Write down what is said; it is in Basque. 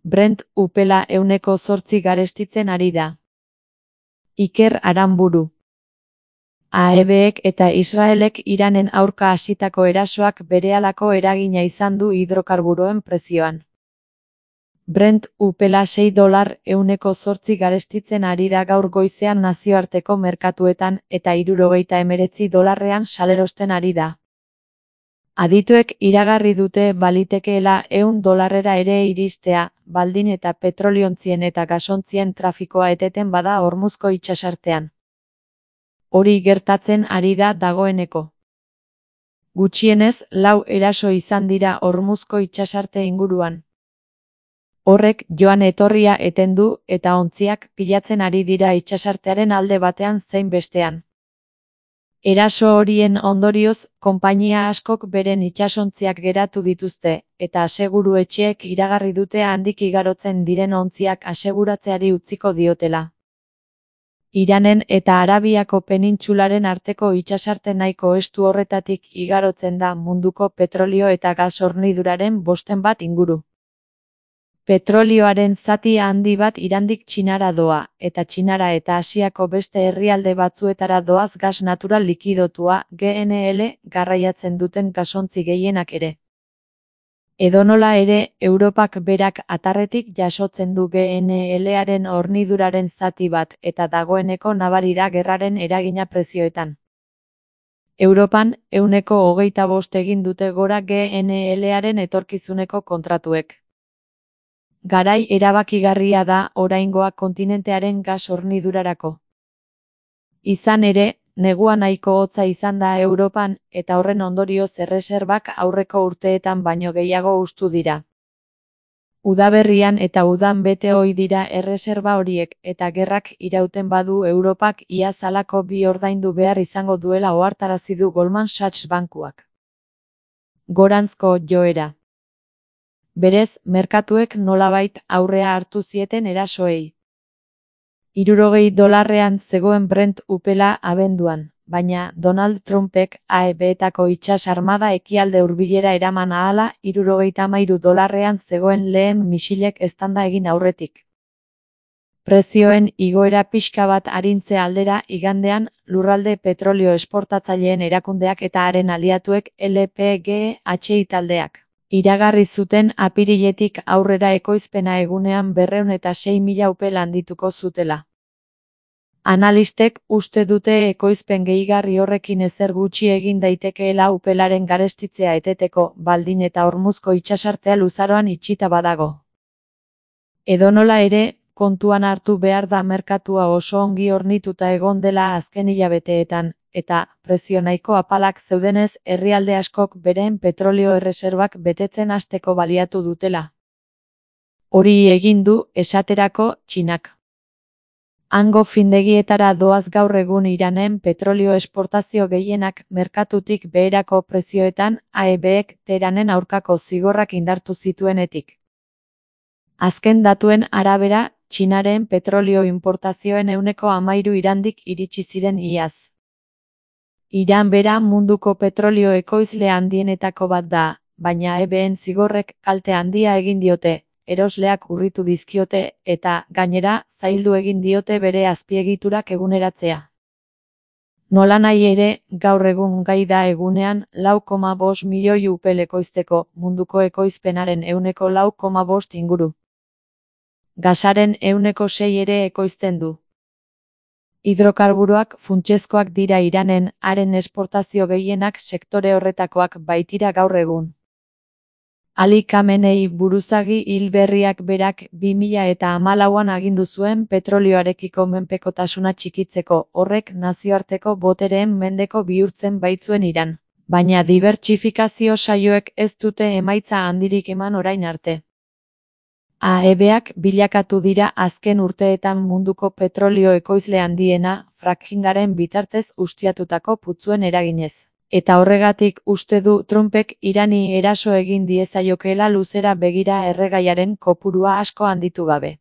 Brent upela 8 garestitzen ari da. Iker Aranburu. AEBek eta Israelek Iranen aurka hasitako erasoak berehalako eragina izan du hidrokarburoen prezioan. Brent upela $6 garestitzen ari da gaur goizean nazioarteko merkatuetan eta $69 salerosten ari da. Adituek iragarri dute balitekeela $100 ere iristea, baldin eta petroliontzien eta gasontzien trafikoa eteten bada Hormuzko itsasartean. Hori gertatzen ari da dagoeneko. Gutxienez 4 eraso izan dira Hormuzko itsasarte inguruan. Horrek joan etorria eten du eta ontziak pilatzen ari dira itsasartearen alde batean zein bestean. Eraso horien ondorioz, konpainia askok beren itsasontziak geratu dituzte, eta aseguru-etxeek iragarri dute handik igarotzen diren ontziak aseguratzeari utziko diotela. Iranen eta Arabiako penintsularen arteko itsasarte nahiko estu horretatik igarotzen da munduko petrolio eta gas horniduraren 1/5 inguru. Petrolioaren zati handi bat Irandik Txinara doa, eta Txinara eta Asiako beste herrialde batzuetara doaz gas natural likidotua, GNL, garraiatzen duten gasontzi gehienak ere. Edonola ere, Europak berak atarretik jasotzen du GNL-aren horniduraren zati bat eta dagoeneko nabari da gerraren eragina prezioetan. Europan, 25% egin dute gora GNL-aren etorkizuneko kontratuek. Garai erabakigarria da oraingoa kontinentearen gas hornidurarako. Izan ere, negua nahiko hotza izan da Europan eta horren ondorioz erreserbak aurreko urteetan baino gehiago hustu dira. Udaberrian eta udan bete ohi dira erreserba horiek eta gerrak irauten badu Europak ia zalako bi ordaindu behar izango duela ohartarazi du Goldman Sachs bankuak. Goranzko joera. Berez, merkatuek nolabait aurrea hartu zieten erasoei. $60 zegoen Brent upela abenduan, baina Donald Trumpek AEBetako itsas armada ekialde hurbilera eraman ahala $73 zegoen lehen misilek eztanda egin aurretik. Prezioen igoera pixka bat arintze aldera igandean, lurralde petrolio esportatzaileen erakundeak eta haren aliatuek LPGHI taldeak. Iragarri zuten apiriletik aurrera ekoizpena egunean 206.000 upel handituko zutela. Analistek uste dute ekoizpen gehigarri horrekin ezer gutxi egin daitekeela upelaren garestitzea eteteko, baldin eta Hormuzko itsasartea luzaroan itxita badago. Edonola ere, kontuan hartu behar da merkatua oso ongi hornituta egon dela azken hilabeteetan, eta, prezio nahiko apalak zeudenez herrialde askok beren petrolio erreserbak betetzen hasteko baliatu dutela. Hori egin du, esaterako, Txinak. Hango findegietara doaz gaur egun Iranen petrolio esportazio gehienak merkatutik beherako prezioetan AEBek Teheranen aurkako zigorrak indartu zituenetik. Azken datuen arabera, Txinaren petrolio importazioen 13% Irandik iritsi ziren iaz. Iran bera munduko petrolio ekoizle handienetako bat da, baina AEBen zigorrek kalte handia egin diote, erosleak urritu dizkiote eta, gainera, zaildu egin diote bere azpiegiturak eguneratzea. Nolanahi ere, gaur egun gai da egunean 4,5 milioi upel ekoizteko, munduko ekoizpenaren 4,5% inguru. Gasaren 6% ere ekoizten du. Hidrokarburoak funtsezkoak dira Iranen, haren esportazio gehienak sektore horretakoak baitira gaur egun. Ali Khamenei buruzagi hil berriak berak 2014an agindu zuen petrolioarekiko menpekotasuna txikitzeko, horrek nazioarteko botereen mendeko bihurtzen baitzuen Iran, baina dibertsifikazio saioek ez dute emaitza handirik eman orain arte. AEBak bilakatu dira azken urteetan munduko petrolio ekoizle handiena, frackingaren bitartez ustiatutako putzuen eraginez. Eta horregatik uste du Trumpek Irani eraso egin diezaiokeela luzera begira erregaiaren kopurua asko handitu gabe.